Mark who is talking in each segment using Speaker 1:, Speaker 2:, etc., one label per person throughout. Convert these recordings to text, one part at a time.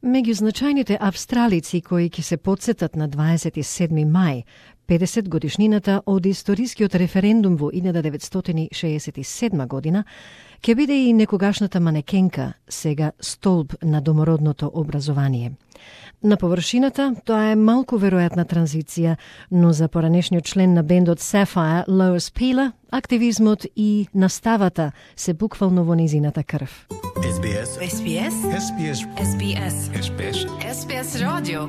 Speaker 1: Меѓу значајните австралици кои ќе се потсетат на 27. мај, 50 годишнината од историскиот референдум во 1967 година, ќе биде и некогашната манекенка, сега столб на домородното образование. На површината, тоа е малку веројатна транзиција, но за поранешниот член на бендот Sapphire, Lois Peeler, активизмот и наставата се буквално во низината крв.
Speaker 2: SBS.
Speaker 3: SBS.
Speaker 2: SBS.
Speaker 3: SBS.
Speaker 2: SBS.
Speaker 3: SBS радио.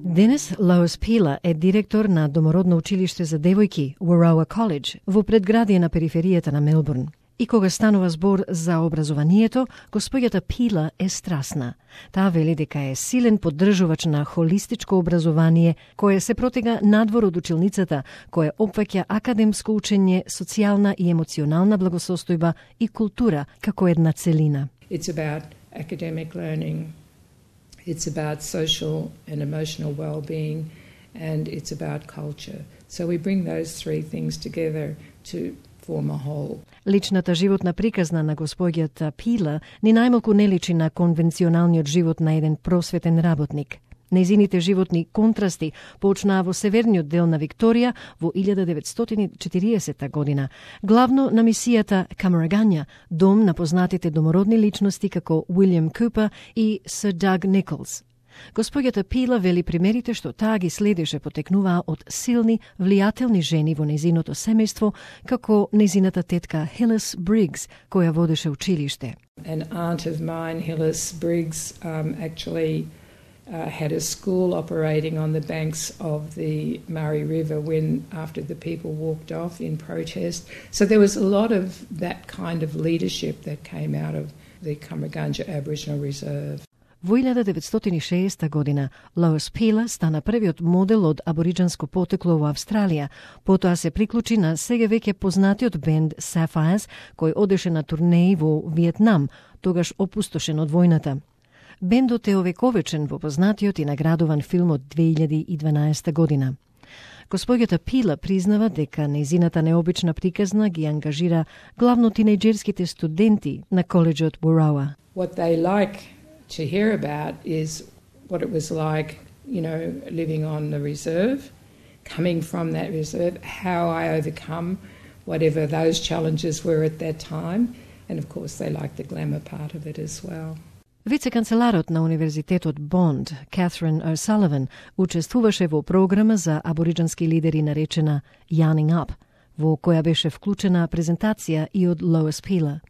Speaker 1: Денес Lois Peeler е директор на домородно училиште за девојки Warrowa College во предградие на периферијата на Мелбурн. И кога станува збор за образованието, господјата Peeler е страсна. Таа вели дека е силен поддржувач на холистичко образование, кое се протега надвор од училницата, кое опфаќа академско учење, социјална и емоционална благосостојба и култура како една целина.
Speaker 4: It's about academic learning, it's about social and emotional well-being, and it's about culture. So we bring those three things together to form a whole.
Speaker 1: Личната животна приказна на господјата Peeler ни најмалку не личи на конвенционалниот живот на еден просветен работник. Нејзините животни контрасти почнаа во северниот дел на Викторија во 1940 година, главно на мисијата Камарагања, дом на познатите домородни личности како Уилјам Купер и Сир Даг Николс. Господјата Peeler вели примерите што таа ги следеше потекнуваа од силни, влијателни жени во незиното семејство, како незината тетка Hillis Briggs, која водеше училиште.
Speaker 4: An aunt of mine, Hillis Briggs, actually had a school operating on the banks of the Murray River when after the people walked off in protest. So there was a lot of that kind of leadership that came out of the Kamarganja Aboriginal Reserve.
Speaker 1: Во 1960 година Lois Peeler стана првиот модел од абориџанско потекло во Австралија, потоа се приклучи на сега веќе познатиот бенд Sapphires, кој одеше на турнеи во Виетнам, тогаш опустошен од војната. Бендот е овековечен во познатиот и наградуван филм од 2012 година. Господјата Peeler признава дека нејзината необична приказна ги ангажира главно тинејџерските студенти на колеџот Warrowa.
Speaker 4: What they like to hear about is what it was like, living on the reserve, coming from that reserve, how I overcome whatever those challenges were at that time, and of course they like the glamour part of it as well.
Speaker 1: Вице-канцеларот на Универзитетот Бонд, Catherine O'Sullivan, учествуваше во програма за абориџански лидери наречена Yarning Up, во која беше вклучена презентација и од Lois Peeler.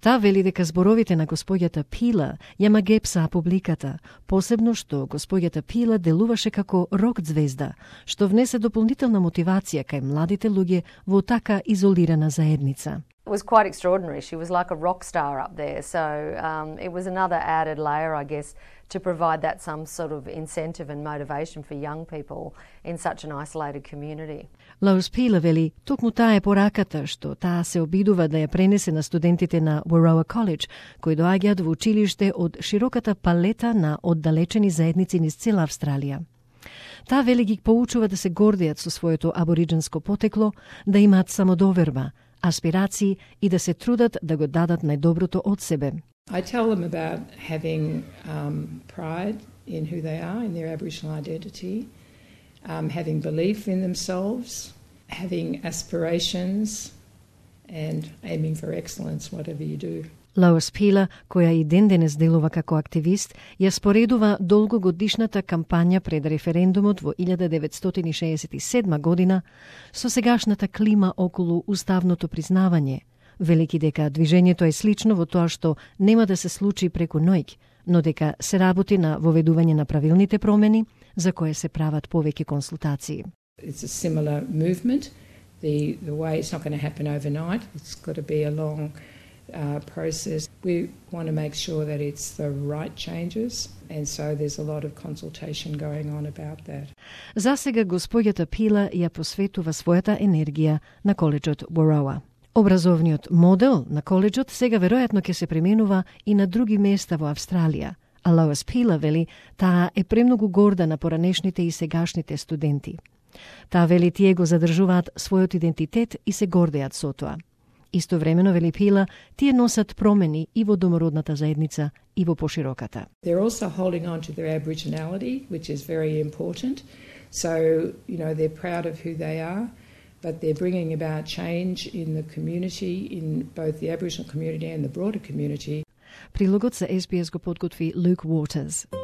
Speaker 1: Таа вели дека зборовите на господјата Peeler ја магепсаа публиката, посебно што господјата Peeler делуваше како рок звезда, што внесе дополнителна мотивација кај младите луѓе во така изолирана заедница.
Speaker 5: It was quite extraordinary. She was like a rock star up there. So it was another added layer, I guess, to provide that some sort of incentive and motivation for young people in such an isolated community.
Speaker 1: Lois Peeler вели, токму таа е пораката што таа се обидува да ја пренесе на студентите на Warrowa College, кои доаѓаат во училиште од широката палета на оддалечени заедници низ цела Австралија. Таа вели ги поучува да се гордеат со своето абориџанско потекло, да имаат самодоверба, аспирации и да се трудат да го дадат најдоброто од себе.
Speaker 4: I tell them about having pride in who they are, in their Aboriginal identity, having belief in themselves, having aspirations, and aiming for excellence, whatever you do.
Speaker 1: Lois Peeler, која и ден-денес делува како активист, ја споредува долгогодишната кампања пред референдумот во 1967 година со сегашната клима околу уставното признавање, велики дека движењето е слично во тоа што нема да се случи преку ноќ, но дека се работи на воведување на правилните промени, за кое се прават повеќе консултации.
Speaker 4: It's a similar movement. The way it's not going to happen overnight. It's got to be a long process. We want to make sure that it's the right changes, and so there's a lot of consultation going on about that.
Speaker 1: За сега господјата Peeler ја посветува својата енергија на колеџот Warrowa. Образовниот модел на колеџот сега веројатно ќе се применува и на други места во Австралија, а Lois Peeler вели таа е премногу горда на поранешните и сегашните студенти. Таа вели тие го задржуваат својот идентитет и се гордеат со тоа. Истовремено, вели Пила, тие носат промени и во домородната заедница и во пошироката.
Speaker 4: They're also holding on to their Aboriginality, which is very important. So, they're proud of who they are, but they're bringing about change in the community, in both the Aboriginal community and the broader community.
Speaker 1: Прилогот за SBS го подготви Luke Waters.